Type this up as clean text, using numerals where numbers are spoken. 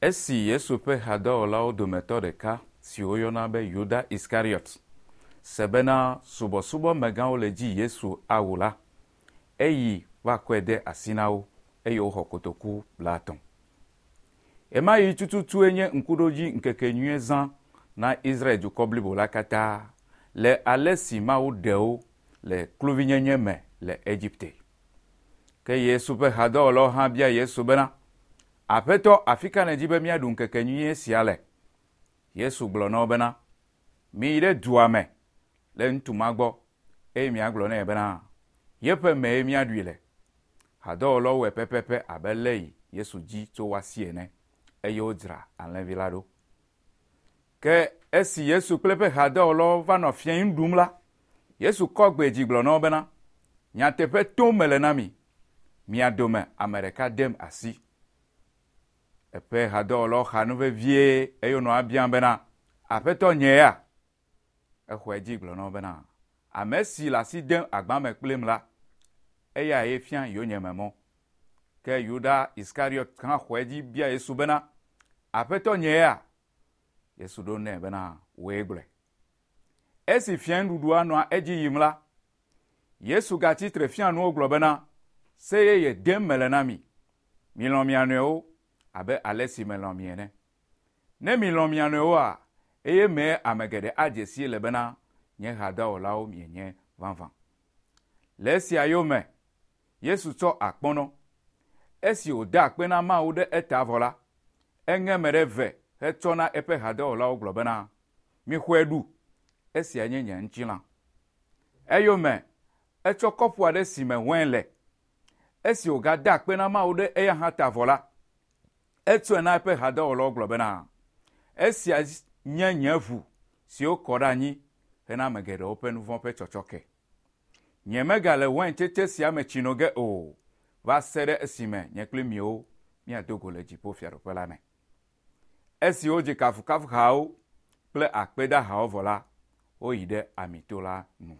Esi Yesu ƒe hadɔwɔlawo dometɔ ɖeka si woyɔna be Yuda Iskariot se bena subɔsubɔmegãwo le dzi Yesu awu la, eyi va kɔe de asi na wo eye woxɔ kotoku 30. Ɣemaɣi tututue nye ŋkuɖodzi ŋkekenyuie zã na Israel dukɔ blibo la katã le ale si Mawu ɖe wo le kluvinyenye me le Egipte. Ke Yesu ƒe hadɔwɔlawo hã bia Yesu bena, Aƒetɔ, afi ka nèdi be míaɖu ŋkekenyuie sia le? Yesu gblɔ na wo bena, Miyi ɖe dua me le ŋutsu ma gbɔ eye miagblɔ nɛ bena, yeƒe mee míaɖui le. Hadɔwɔlawo wɔe pɛpɛpɛ abe le yi Yesu dzi tso woa si ene eye wodzra alẽvi la ɖo. Ke esi Yesu kple eƒe hadɔwɔlawo va nɔ fiẽ nu ɖum la, Yesu kɔ gbe dzi gblɔ na wo bena, Nyateƒe tom mele na mi, mia dome ame ɖeka dem asi. Eƒe hadɔwɔlawo xa nu vevie eye wonɔ ebiam bena, Aƒetɔ nye ya? Exɔe dzi gblɔ na wo bena, Ame si le asi dem agba me kplim la, eyae fia yonyeme mɔ. Ke Yuda Iskariot hã xɔe dzi bia Yesu bena, Aƒetɔ nye ya? Yesu ɖo nɛ bena, Wòe gblɔe. Esi fiẽnuɖuɖua nɔa edzi yim la, Yesu gatsi tre fia nuwo gblɔ bena, Se yeye dem mele na mi. Milɔ̃ mia nɔewo abe ale si melɔ̃ mi ene. Ne milɔ̃ mia nɔewoa, eye mee ame geɖe adze sii le bena nye hadɔwɔlawo mienye vavã. Le esia yome, Yesu tsɔ akpɔnɔ. Esi wòda akpe na Mawu ɖe eta vɔ la, eŋe eme ɖe eve hetsɔ na eƒe hadɔwɔlawo gblɔ bena, Mixɔe ɖu, esia nye nye ŋutilã. Eyome etsɔ kɔpu aɖe si me wain le. Esi wògada akpe na Mawu ɖe eya hã ta vɔ la, etsɔe na eƒe hadɔwɔlawo gblɔ bena, Esia nye nye ʋu si wokɔ ɖe anyi hena ame geɖewo ƒe nu vɔ̃ ƒe tsɔtsɔke. Nyemegale waintsetse sia me tsi no ge o, va se ɖe esime nye kpli miwo míado go le dziƒofiaɖuƒe la me. Esi wodzi kafukafuhawo kple akpedahawo vɔ la, woyi ɖe Amito la nu.